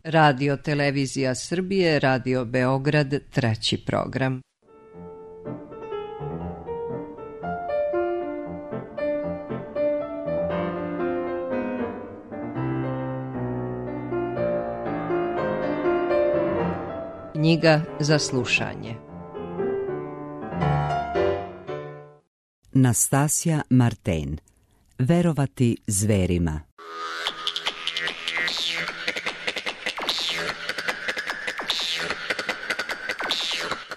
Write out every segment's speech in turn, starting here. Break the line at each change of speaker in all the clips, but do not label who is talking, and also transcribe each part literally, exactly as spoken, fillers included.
Radio Televizija Srbije, Radio Beograd, treći program. Knjiga za slušanje.
Nastasja Marten. Verovati zverima.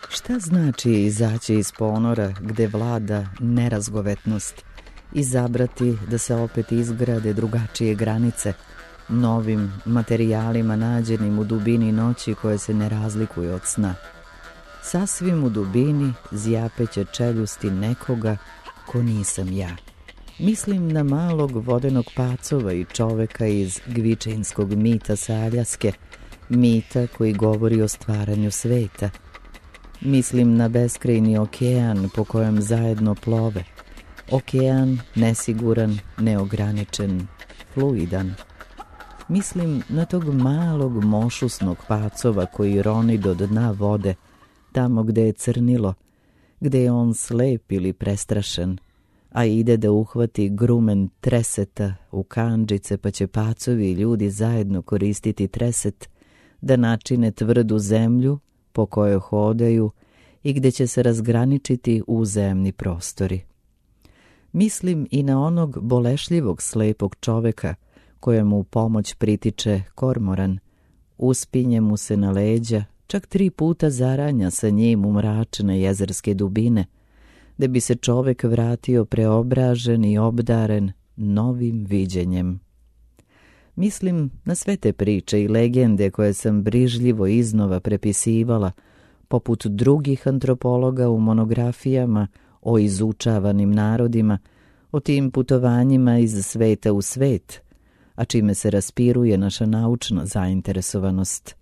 Šta znači izaći iz ponora gde vlada nerazgovetnost, izabrati da se opet izgrade drugačije granice, novim materijalima nađenim u dubini noći koje se ne razlikuju od sna. Sasvim u dubini zjapeće čeljusti nekoga ko nisam ja. Mislim na malog vodenog pacova i čoveka iz gvičinskog mita sa Aljaske, mita koji govori o stvaranju sveta. Mislim na beskrajni okean po kojem zajedno plove. Okean nesiguran, neograničen, fluidan. Mislim na tog malog mošusnog pacova koji roni do dna vode, tamo gde je crnilo, gde je on slep ili prestrašen, a ide da uhvati grumen treseta u kandžice, pa će pacovi i ljudi zajedno koristiti treset da načine tvrdu zemlju po kojoj hodaju i gde će se razgraničiti uzemni prostori. Mislim i na onog bolešljivog slepog čoveka kojemu u pomoć pritiče kormoran, uspinje mu se na leđa, čak tri puta zaranja sa njim u mračne jezerske dubine, da bi se čovek vratio preobražen i obdaren novim viđenjem. Mislim na sve te priče i legende koje sam brižljivo iznova prepisivala, poput drugih antropologa u monografijama o izučavanim narodima, o tim putovanjima iz sveta u svet, a čime se raspiruje naša naučna zainteresovanost.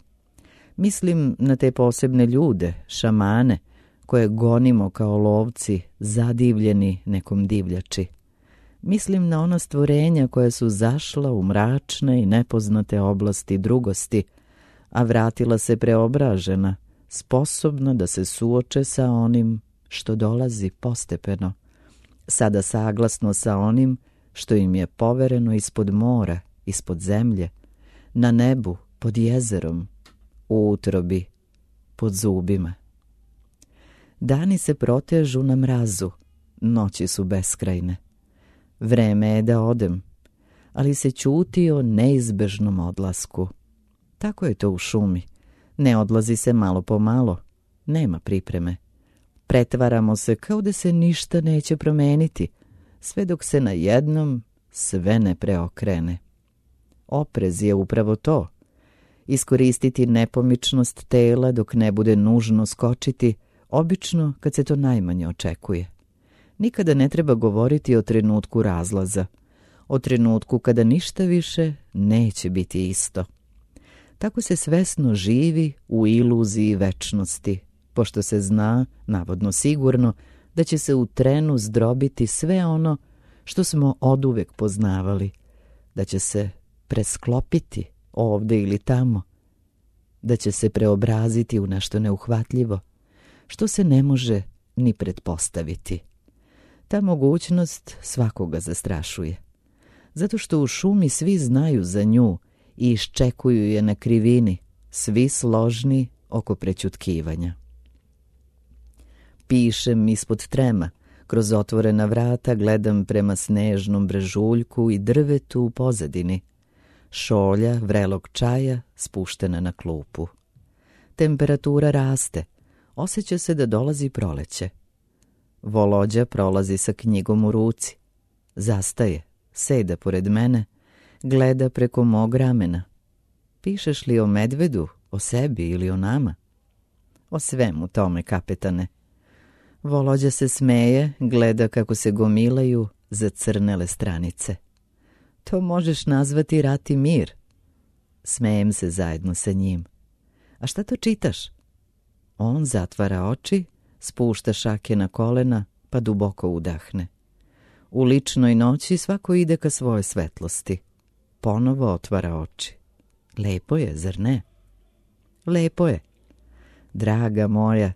Mislim na te posebne ljude, šamane, koje gonimo kao lovci, zadivljeni nekom divljači. Mislim na ona stvorenja koja su zašla u mračne i nepoznate oblasti drugosti, a vratila se preobražena, sposobna da se suoče sa onim što dolazi postepeno, sada saglasno sa onim što im je povereno ispod mora, ispod zemlje, na nebu, pod jezerom, u utrobi, pod zubima. Dani se protežu na mrazu, noći su beskrajne. Vreme je da odem, ali se ćuti o neizbežnom odlasku. Tako je to u šumi. Ne odlazi se malo po malo, nema pripreme. Pretvaramo se kao da se ništa neće promeniti, sve dok se na jednom sve ne preokrene. Oprez je upravo to. Iskoristiti nepomičnost tela dok ne bude nužno skočiti, obično kad se to najmanje očekuje. Nikada ne treba govoriti o trenutku razlaza, o trenutku kada ništa više neće biti isto. Tako se svesno živi u iluziji večnosti, pošto se zna, navodno sigurno, da će se u trenu zdrobiti sve ono što smo oduvek poznavali, da će se presklopiti ovde ili tamo, da će se preobraziti u nešto neuhvatljivo, što se ne može ni pretpostaviti. Ta mogućnost svakoga zastrašuje, zato što u šumi svi znaju za nju i iščekuju je na krivini, svi složni oko prećutkivanja. Pišem ispod trema, kroz otvorena vrata gledam prema snežnom brežuljku i drvetu u pozadini. Šolja vrelog čaja spuštena na klupu. Temperatura raste, osjeća se da dolazi proleće. Volođa prolazi sa knjigom u ruci. Zastaje, seda pored mene, gleda preko mog ramena. Pišeš li o medvedu, o sebi ili o nama? O svemu tome, kapetane. Volođa se smeje, gleda kako se gomilaju zacrnele stranice. To možeš nazvati rat i mir. Smejem se zajedno sa njim. A šta to čitaš? On zatvara oči, spušta šake na kolena, pa duboko udahne. U ličnoj noći svako ide ka svojoj svetlosti. Ponovo otvara oči. Lepo je, zar ne? Lepo je. Draga moja,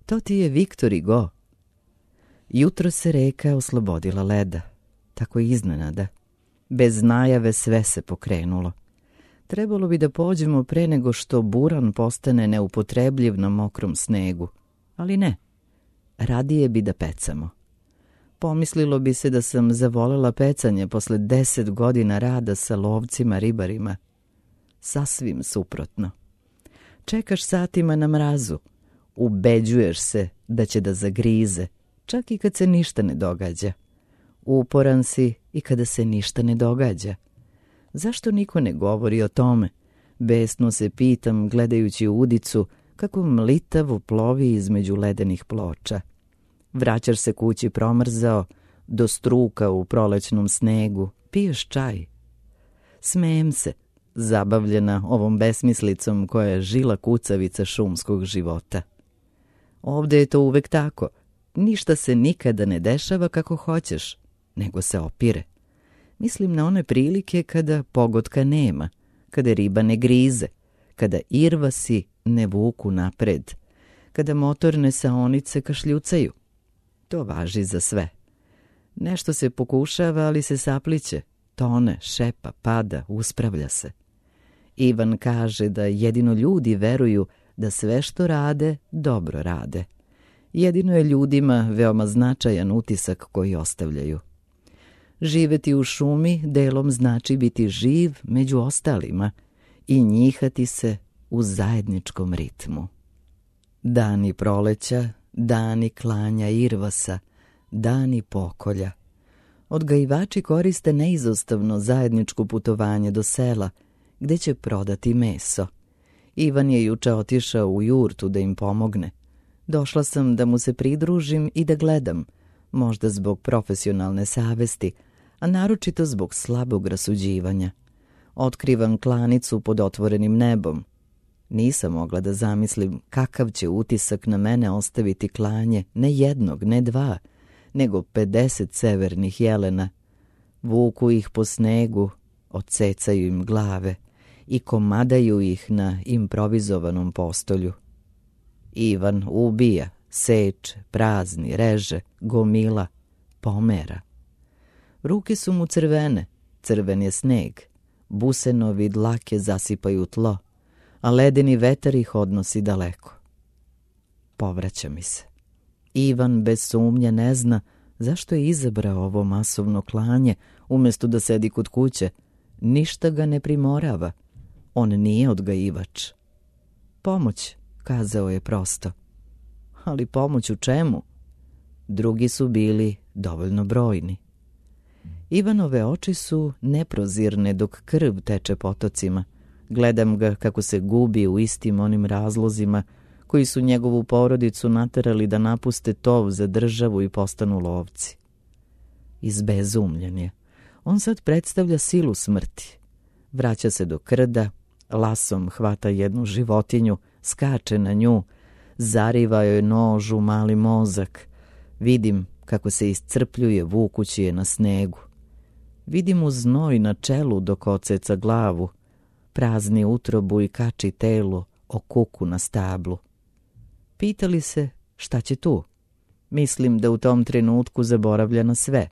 to ti je Viktor Hugo. Jutro se reka oslobodila leda, tako iznenada. Bez najave sve se pokrenulo. Trebalo bi da pođemo pre nego što buran postane neupotrebljiv na mokrom snegu, ali ne. Radije bi da pecamo. Pomislilo bi se da sam zavolela pecanje posle deset godina rada sa lovcima ribarima. Sasvim suprotno. Čekaš satima na mrazu, ubeđuješ se da će da zagrize, čak i kad se ništa ne događa. Uporan si i kada se ništa ne događa. Zašto niko ne govori o tome? Besno se pitam gledajući udicu kako mlitavo plovi između ledenih ploča. Vraćaš se kući promrzao, do struka u prolećnom snegu, piješ čaj. Smejem se, zabavljena ovom besmislicom koja je žila kucavica šumskog života. Ovde je to uvek tako. Ništa se nikada ne dešava kako hoćeš, nego se opire. Mislim na one prilike kada pogotka nema, kada riba ne grize, kada irvasi ne vuku napred, kada motorne saonice kašljucaju. To važi za sve. Nešto se pokušava, ali se sapliće, tone, šepa, pada, uspravlja se. Ivan kaže da jedino ljudi veruju da sve što rade, dobro rade. Jedino je ljudima veoma značajan utisak koji ostavljaju. Živeti u šumi delom znači biti živ među ostalima i njihati se u zajedničkom ritmu. Dani proleća, dani klanja irvasa, dani pokolja. Odgajivači koriste neizostavno zajedničko putovanje do sela, gde će prodati meso. Ivan je juče otišao u jurtu da im pomogne. Došla sam da mu se pridružim i da gledam, možda zbog profesionalne savesti, a naročito zbog slabog rasuđivanja. Otkrivam klanicu pod otvorenim nebom. Nisam mogla da zamislim kakav će utisak na mene ostaviti klanje ne jednog, ne dva, nego pedeset severnih jelena. Vuku ih po snegu, odsecaju im glave i komadaju ih na improvizovanom postolju. Ivan ubija, seče, prazni, reže, gomila, pomera. Ruke su mu crvene, crven je sneg, busenovi dlake zasipaju tlo, a ledeni vetar ih odnosi daleko. Povraća mi se. Ivan bez sumnje ne zna zašto je izabrao ovo masovno klanje umjesto da sedi kod kuće. Ništa ga ne primorava. On nije odgajivač. Pomoć, kazao je prosto. Ali pomoć u čemu? Drugi su bili dovoljno brojni. Ivanove oči su neprozirne dok krv teče potocima. Gledam ga kako se gubi u istim onim razlozima koji su njegovu porodicu naterali da napuste tov za državu i postanu lovci. Izbezumljen je. On sad predstavlja silu smrti. Vraća se do krda, lasom hvata jednu životinju, skače na nju, zariva joj nož u mali mozak. Vidim kako se iscrpljuje vukući je na snegu. Vidim mu znoj na čelu dok oceca glavu, prazni utrobu i kači telo o kuku na stablu. Pitali se šta će tu? Mislim da u tom trenutku zaboravlja na sve.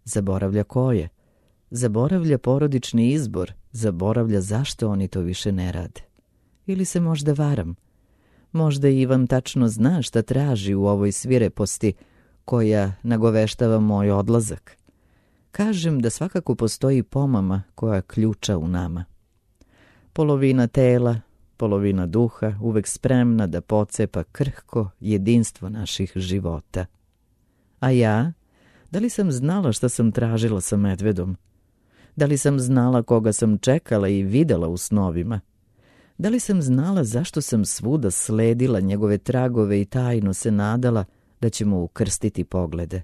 Zaboravlja koje? Zaboravlja porodični izbor, zaboravlja zašto oni to više ne rade. Ili se možda varam? Možda Ivan tačno zna šta traži u ovoj svireposti koja nagoveštava moj odlazak. Kažem da svakako postoji pomama koja ključa u nama. Polovina tela, polovina duha, uvek spremna da pocepa krhko jedinstvo naših života. A ja, da li sam znala šta sam tražila sa medvedom? Da li sam znala koga sam čekala i videla u snovima? Da li sam znala zašto sam svuda sledila njegove tragove i tajno se nadala da će mu ukrstiti poglede?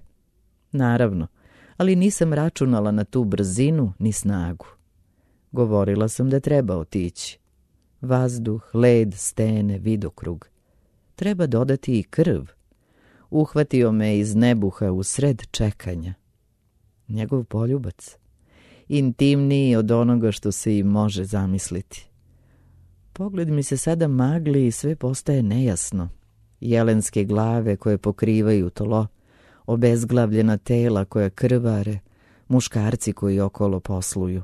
Naravno, ali nisam računala na tu brzinu ni snagu. Govorila sam da treba otići. Vazduh, led, stene, vidokrug. Treba dodati i krv. Uhvatio me iz nebuha u sred čekanja. Njegov poljubac. Intimniji od onoga što se i može zamisliti. Pogled mi se sada magli i sve postaje nejasno. Jelenske glave koje pokrivaju tlo, obezglavljena tela koja krvare, muškarci koji okolo posluju.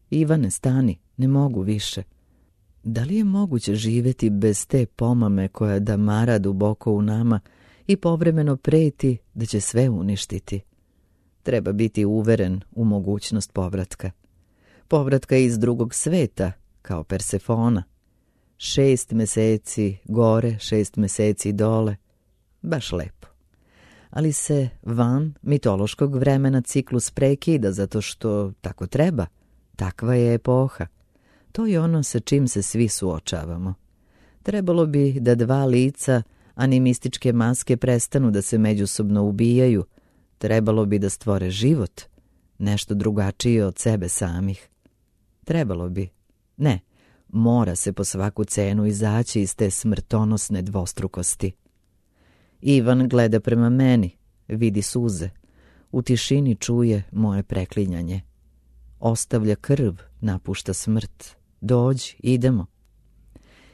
Ivane, stani, ne mogu više. Da li je moguće živjeti bez te pomame koja damara duboko u nama i povremeno preti da će sve uništiti? Treba biti uveren u mogućnost povratka. Povratka iz drugog sveta, kao Persefona. Šest meseci gore, šest meseci dole. Baš lepo. Ali se van mitološkog vremena ciklus prekida zato što tako treba. Takva je epoha. To je ono sa čim se svi suočavamo. Trebalo bi da dva lica animističke maske prestanu da se međusobno ubijaju. Trebalo bi da stvore život, nešto drugačije od sebe samih. Trebalo bi. Ne, mora se po svaku cenu izaći iz te smrtonosne dvostrukosti. Ivan gleda prema meni, vidi suze. U tišini čuje moje preklinjanje. Ostavlja krv, napušta smrt. Dođi, idemo.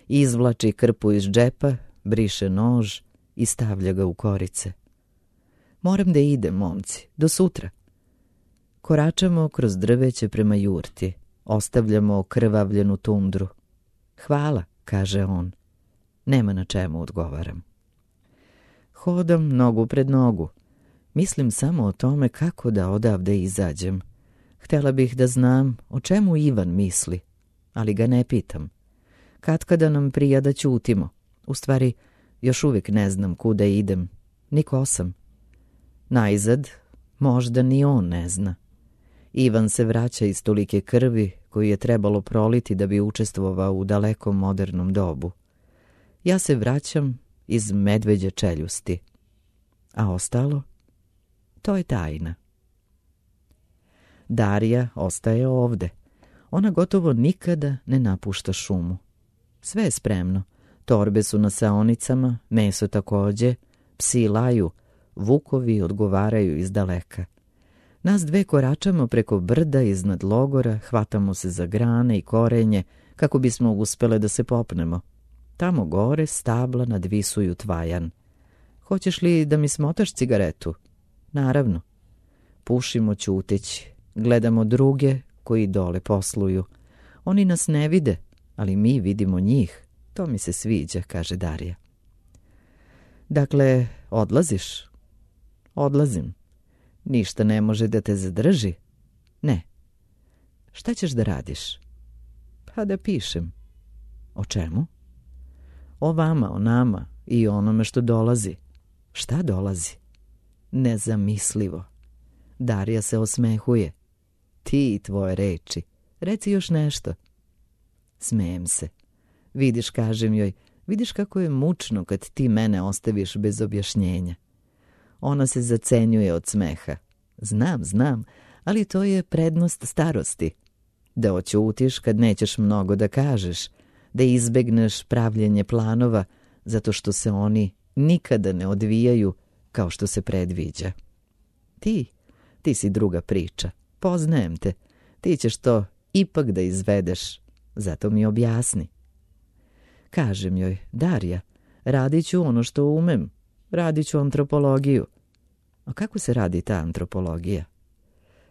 Izvlači krpu iz džepa, briše nož i stavlja ga u korice. Moram da idem, momci, do sutra. Koračamo kroz drveće prema jurti. Ostavljamo okrvavljenu tundru. Hvala, kaže on. Nema na čemu, odgovaram. Hodam nogu pred nogu. Mislim samo o tome kako da odavde izađem. Htjela bih da znam o čemu Ivan misli, ali ga ne pitam. Katkada nam prija da ćutimo. U stvari, još uvijek ne znam kuda idem, ni ko sam. Najzad, možda ni on ne zna. Ivan se vraća iz tolike krvi koju je trebalo proliti da bi učestvovao u dalekom modernom dobu. Ja se vraćam iz medveđe čeljusti. A ostalo? To je tajna. Darija ostaje ovde. Ona gotovo nikada ne napušta šumu. Sve je spremno. Torbe su na saonicama, meso takođe, psi laju, vukovi odgovaraju iz daleka. Nas dve koračamo preko brda iznad logora, hvatamo se za grane i korenje kako bismo uspele da se popnemo. Tamo gore stabla nadvisuju tvajan. Hoćeš li da mi smotaš cigaretu? Naravno. Pušimo ćuteći. Gledamo druge koji dole posluju. Oni nas ne vide, ali mi vidimo njih. To mi se sviđa, kaže Darija. Dakle, odlaziš? Odlazim. Ništa ne može da te zadrži? Ne. Šta ćeš da radiš? Pa da pišem. O čemu? O vama, o nama i o onome što dolazi. Šta dolazi? Nezamislivo. Darija se osmehuje. Ti i tvoje reči. Reci još nešto. Smejem se. Vidiš, kažem joj, vidiš kako je mučno kad ti mene ostaviš bez objašnjenja. Ona se zacenjuje od smeha. Znam, znam, ali to je prednost starosti. Da oćutiš kad nećeš mnogo da kažeš, da izbegneš pravljenje planova, zato što se oni nikada ne odvijaju kao što se predviđa. Ti, ti si druga priča. Poznajem te. Ti ćeš to ipak da izvedeš. Zato mi objasni. Kažem joj, Darija, radit ću ono što umem. Radit ću antropologiju. A kako se radi ta antropologija?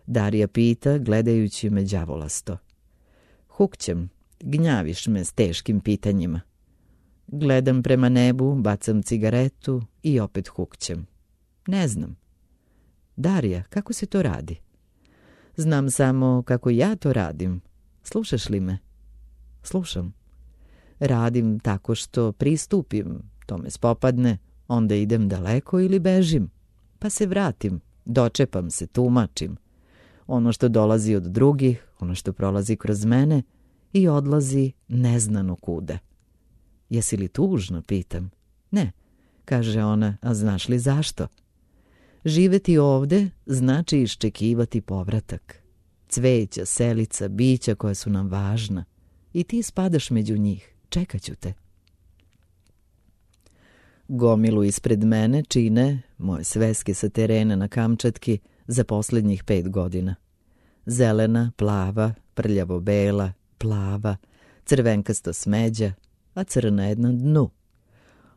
Darija pita, gledajući me đavolasto. Hukćem, gnjaviš me s teškim pitanjima. Gledam prema nebu, bacam cigaretu i opet hukćem. Ne znam. Darija, kako se to radi? Znam samo kako ja to radim. Slušaš li me? Slušam. Radim tako što pristupim, to me spopadne, onda idem daleko ili bežim. Pa se vratim, dočepam se, tumačim. Ono što dolazi od drugih, ono što prolazi kroz mene i odlazi neznano kuda. Jesi li tužno, pitam. Ne, kaže ona, a znaš li zašto? Živeti ovde znači iščekivati povratak. Cveća, selica, bića koja su nam važna. I ti spadaš među njih. Čekat ću te. Gomilu ispred mene čine moje sveske sa terena na Kamčatki za posljednjih pet godina. Zelena, plava, prljavo bela, plava, crvenkasto smeđa, a crna je na dnu.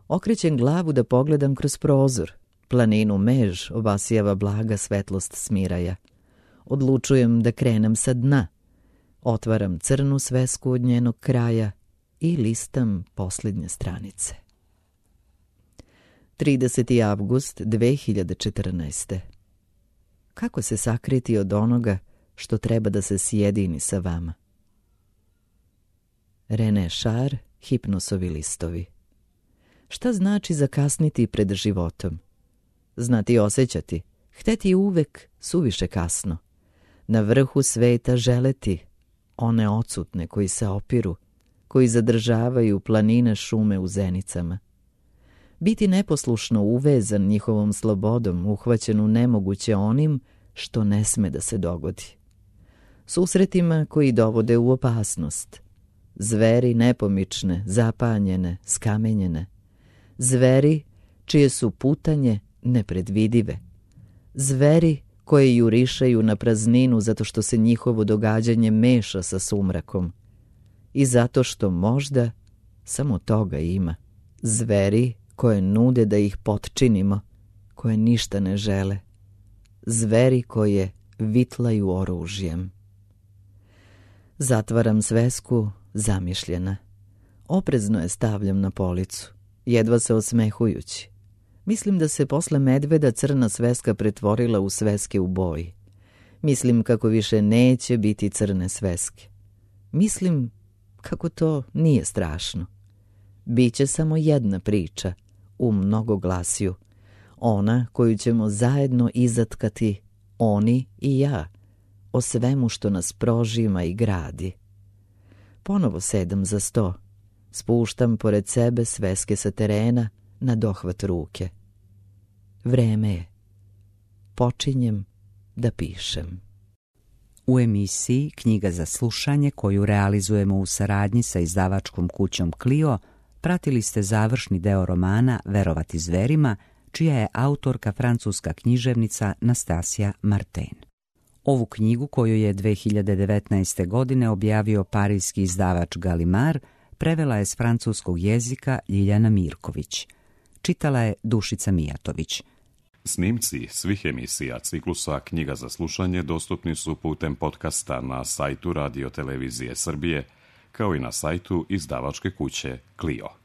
Okrećem glavu da pogledam kroz prozor. Planinu Mež obasijava blaga svetlost smiraja. Odlučujem da krenem sa dna. Otvaram crnu svesku od njenog kraja i listam posljednje stranice. trideseti avgust dve hiljade četrnaeste. Kako se sakriti od onoga što treba da se sjedini sa vama? René Char, Hipnosovi listovi. Šta znači zakasniti pred životom? Znati osjećati, hteti uvek suviše kasno. Na vrhu sveta želeti, one odsutne koji se opiru, koji zadržavaju planine šume u zenicama. Biti neposlušno uvezan njihovom slobodom, uhvaćen u nemoguće onim što ne sme da se dogodi. Susretima koji dovode u opasnost. Zveri nepomične, zapanjene, skamenjene. Zveri čije su putanje nepredvidive. Zveri koje jurišaju na prazninu zato što se njihovo događanje meša sa sumrakom. I zato što možda samo toga ima. Zveri koje nude da ih potčinimo, koje ništa ne žele. Zveri koje vitlaju oružjem. Zatvaram svesku, zamišljena. Oprezno je stavljam na policu, jedva se osmehujući. Mislim da se posle medveda crna sveska pretvorila u sveske u boji. Mislim kako više neće biti crne sveske. Mislim kako to nije strašno. Biće samo jedna priča, u mnogoglasju. Ona koju ćemo zajedno izatkati, oni i ja, o svemu što nas prožima i gradi. Ponovo sedam za sto. Spuštam pored sebe sveske sa terena na dohvat ruke. Vreme je. Počinjem da pišem.
U emisiji Knjiga za slušanje, koju realizujemo u saradnji sa izdavačkom kućom Clio, pratili ste završni deo romana Verovati zverima, čija je autorka francuska književnica Nastasija Martin. Ovu knjigu, koju je dve hiljade devetnaeste. godine objavio parijski izdavač Gallimard, prevela je s francuskog jezika Ljiljana Mirković. Čitala je Dušica Mijatović.
Snimci svih emisija ciklusa Knjiga za slušanje dostupni su putem podcasta na sajtu Radio Televizije Srbije, kao i na sajtu izdavačke kuće Clio.